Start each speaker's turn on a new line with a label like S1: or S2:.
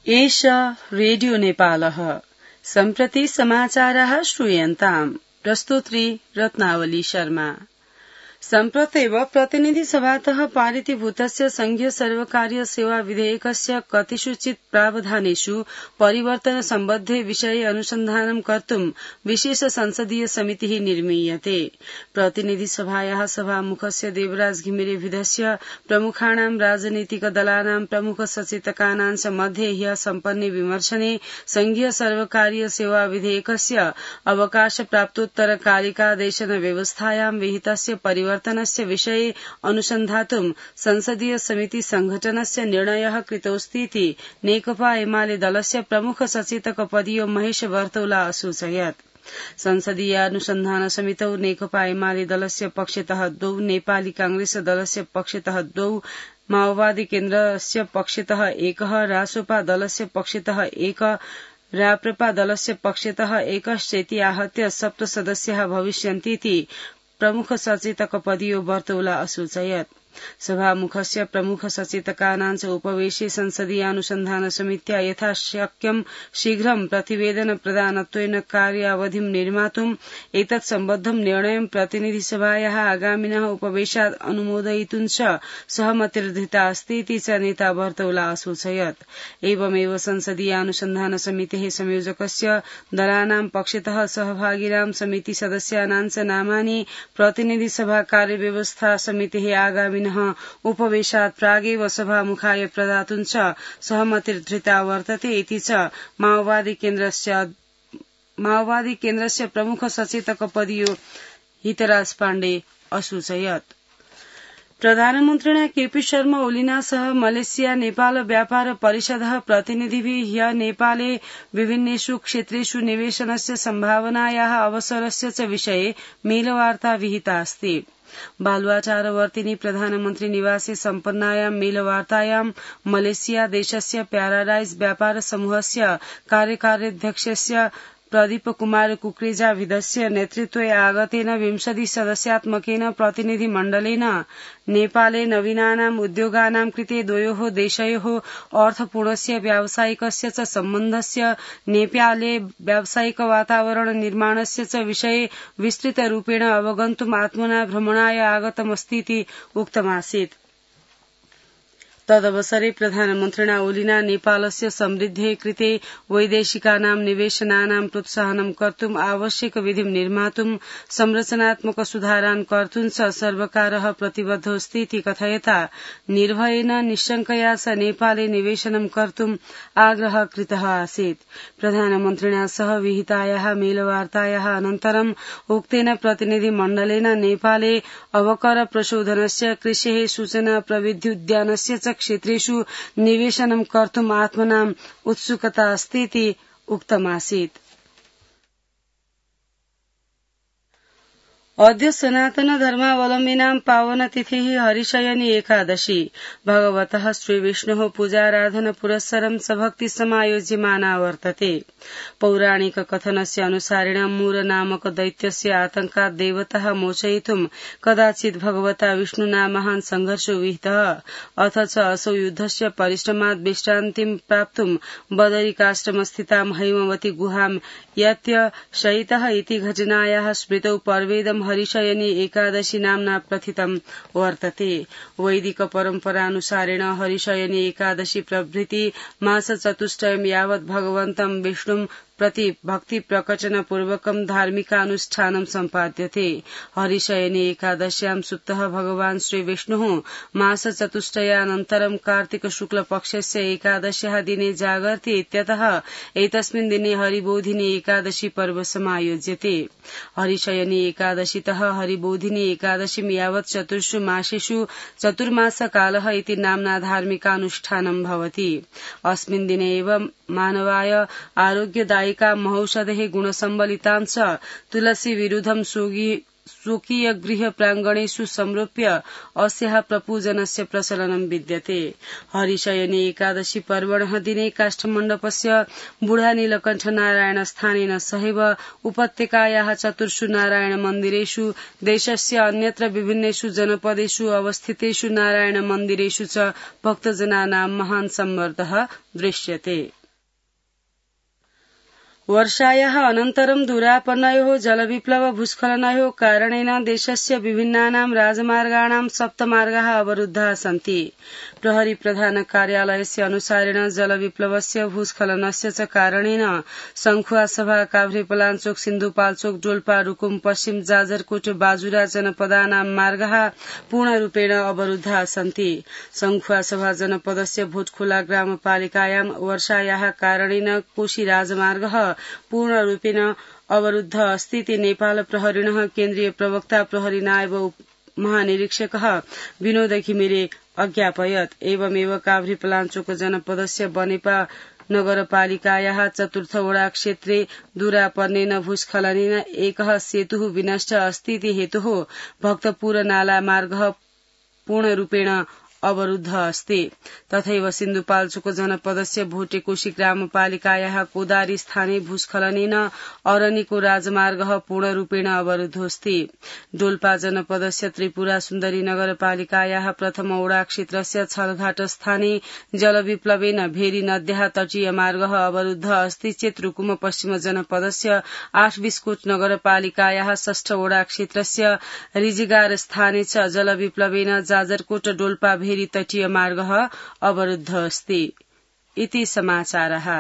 S1: एष रेडियो नेपालः सम्प्रति समाचारः श्रूयन्ताम्। प्रस्तोत्री रत्नावली शर्मा। सम्प्रत्येव प्रतिनिधि सभातः पारितीभूतस्य संघीय सर्वकारीय सेवा विधेयकस्य कतिषुचित् प्रावधानेषु परिवर्तन सम्बद्धे विषये अनुसन्धानं कर्तुं विशेष संसदीय समितिः निर्मीयते। प्रतिनिधि सभायाः सभामुखस्य देवराज घिमिरेभिधस्य प्रमुखाणां राजनीतिक दलानां प्रमुख सचेतकानां च मध्ये ह्यः सम्पन्ने विमर्शने संघीय सर्वकारीय सेवा विधेयकस्य अवकाश प्राप्तोत्तरकालिकादेशन व्यवस्थायां विहितस्य परिवर्तनस्य विषये अनुसन्धातुं संसदीय समिति संघटनस्य निर्णयः कृतोऽस्तीति नेकपा एमाले दलस्य प्रमुख सचेतक पदीयो महेश वर्तौला असूचयत्। संसदीयानुसन्धान समितौ नेकपा एमाले दलस्य पक्षतः 2, नेपाली कांग्रेस दलस्य पक्षतः 2, माओवादी केन्द्रस्य पक्षतः 1, रासोपा दलस्य पक्षतः 1, राप्रपा दलस्य पक्षतः 1 आहत्य 7 सदस्याः भविष्यन्तीति प्रमुख सचेतक पदीयो वर्तौला असूचयत्। सभामुखस्य प्रमुख सचेतकानां च उपवेशे संसदीयानुसन्धान समित्या यथाशक्यं शीघ्रं प्रतिवेदन प्रदानत्वेन कार्यावधिं निर्मातुम् एतत् सम्बद्धं निर्णयं प्रतिनिधिसभायाः आगामिनः उपवेशात् अनुमोदयितुं च सहमतिर्धृता अस्तीति च नेता वर्तौला असूचयत्। एवमेव संसदीयानुसन्धान समितेः संयोजकस्य दलानां पक्षतः सहभागिनां समिति सदस्यानां च नामानि प्रतिनिधिसभा कार्यव्यवस्था समितेः आगामि उपवेशात् प्रागेव सभामुखाय प्रदातुं च सहमतिर्धृता वर्तते इति च माओवादी केन्द्रस्य प्रमुख सचेतक पदीयो हितराज पाण्डे असूचयत्। प्रधानमन्त्रिणा केपी शर्मा ओलीना सह मलेशिया नेपाल व्यापार परिषदः प्रतिनिधिभिः ह्यः नेपाले विभिन्नेषु क्षेत्रेषु निवेशनस्य सम्भावनायाः अवसरस्य च विषये मेलवार्ता विहिता अस्ति। बालुवाचारवर्तिनी प्रधानमन्त्री निवासे सम्पन्नायां मेलवार्तायां मलेशिया देशस्य प्याराडाइज व्यापार समूहस्य कार्यकार्याध्यक्षस्य प्रदीप कुमार कुकरेजाभिधस्य नेतृत्वे आगतेन 20 सदस्यात्मकेन प्रतिनिधिमण्डलेन नेपाले नवीनानाम् उद्योगानां कृते द्वयोः देशयोः अर्थपूर्णस्य व्यावसायिकस्य च सम्बन्धस्य नेपाले व्यावसायिक वातावरण निर्माणस्य च विषये विस्तृतरूपेण अवगन्तुम् आत्मना भ्रमणाय आगतमस्तीति उक्तमासीत्। तदवसरे प्रधानमन्त्रिणा ओलीना नेपालस्य समृद्धेः कृते वैदेशिकानां निवेशनानां प्रोत्साहनं कर्तुम् आवश्यक विधिं निर्मातुं संरचनात्मक सुधारान् कर्तुं च सर्वकारः प्रतिबद्धोऽस्तीति कथयता निर्भयेन निश्शङ्कया च नेपाले निवेशनं कर्तुम् आग्रहः कृतः आसीत्। प्रधानमन्त्रिणा सह विहितायाः मेलवार्तायाः अनन्तरम् उक्तेन प्रतिनिधिमण्डलेन नेपाले अवकर प्रशोधनस्य कृषेः सूचना प्रविध्युद्यानस्य च क्षेत्रेषु निवेशनं कर्तुम् आत्मनाम् उत्सुकता अस्तीति उक्तमासीत्। अद्य सनातन धर्मावलम्बिनां पावनतिथिः हरिशयनी एकादशी भगवतः श्रीविष्णोः पूजाराधन पुरस्सरं सभक्ति समायोज्यमाना वर्तते। पौराणिक कथनस्य अनुसारेण मूर नामक दैत्यस्य आतंकात् देवतः मोचयितुं कदाचित् भगवता विष्णुना महान् संघर्षो विहितः अथ च असौ युद्धस्य परिश्रमात् विश्रान्तिं प्राप्तुं बदरिकाश्रमस्थितां हैमवती गुहां यत्य शयितः इति घटनायाः स्मृतौ पर्वेदं हरिशयनी एकादशी नाम्ना प्रथितं वर्तते। वैदिक परम्परानुसारेण हरिशयनी एकादशी प्रभृति मास चतुष्टयं यावत् भगवन्तं विष्णुं प्रति भक्ति प्रकटन पूर्वकं धार्मिकानुष्ठानं सम्पाद्यते। हरिशयनी एकादश्यां सुप्तः भगवान् श्रीविष्णुः मास चतुष्टयानन्तरं कार्तिक शुक्ल पक्षस्य एकादश्याः दिने जागर्ति इत्यतः एतस्मिन् दिने हरिबोधिनी एकादशी पर्व समायोज्यते। हरिशयनी एकादशीतः हरिबोधिनी एकादशीं यावत् चतुर्षु मासेषु चतुर्मासकालः इति नाम्ना धार्मिकानुष्ठानं भवति। अस्मिन् दिने एव मानवाय आरोग्यदायिका महौषधेः गुणसम्बलितां च तुलसी विरुद्धं स्वकीय गृह प्राङ्गणेषु संरोप्य अस्याः प्रपूजनस्य प्रचलनं विद्यते। हरिशयनी एकादशी पर्वणः दिने काष्ठमण्डपस्य बुढानीलकण्ठ नारायण स्थानेन सहैव उपत्यकायाः चतुर्षु नारायण मन्दिरेषु देशस्य अन्यत्र विभिन्नेषु जनपदेषु अवस्थितेषु नारायण मन्दिरेषु च भक्तजनानां महान् सम्मर्दः दृश्यते। वर्षायाः अनन्तरं दुरापन्नयोः जलविप्लव भूस्खलनयोः कारणेन देशस्य विभिन्नानां राजमार्गाणां सप्तमार्गाः अवरुद्धाः सन्ति। प्रहरी प्रधान कार्यालयस्य अनुसारेण जलविप्लवस्य भूस्खलनस्य च कारणेन संखुवासभा काभ्रेपलाञ्चोक सिन्धुपाल्चोक डोल्पा रुकुम पश्चिम जाजरकोट बाजुरा जनपदानां मार्गाः पूर्णरूपेण अवरुद्धाः सन्ति। संखुवासभा जनपदस्य भोटखोला ग्रामपालिकायां वर्षायाः कारणेन कोशी राजमार्गः पूर्णरूपेण अवरुद्ध अस्ति इति नेपाल प्रहरिणः केन्द्रीय प्रवक्ता प्रहरी नायब महानिरीक्षकः विनोद घिमिरे अज्ञापयत्। एवमेव काभ्रेपलाञ्चोक जनपदस्य बनेपा नगरपालिकायाः चतुर्थ वडा क्षेत्रे दुरापन्नेन भूस्खलनेन एकः सेतुः विनष्ट अस्ति इति हेतुः भक्तपुर नाला मार्गः पूर्णरूपेण अवरुद्ध अस्ति। तथैव सिन्धुपाल्चोक जनपदस्य भोटेकोशी ग्रामपालिकायाः कोदारी स्थाने भूस्खलनेन अरनिको राजमार्गः पूर्णरूपेण अवरुद्धोऽस्ति। डोल्पा जनपदस्य त्रिपुरा सुन्दरी नगरपालिकायाः प्रथम वडा क्षेत्रस्य छलघाट स्थाने जलविप्लवेन भेरी नद्याः तटीय मार्गः अवरुद्ध अस्ति चेत् रुकुम पश्चिम जनपदस्य 8 बिस्कोट नगरपालिकायाः षष्ठ वडा क्षेत्रस्य रिजिगार स्थाने च जलविप्लवेन जाजरकोट डोल्पा भेरी तटीय मार्गः अवरुद्ध अस्ति। इति समाचारः।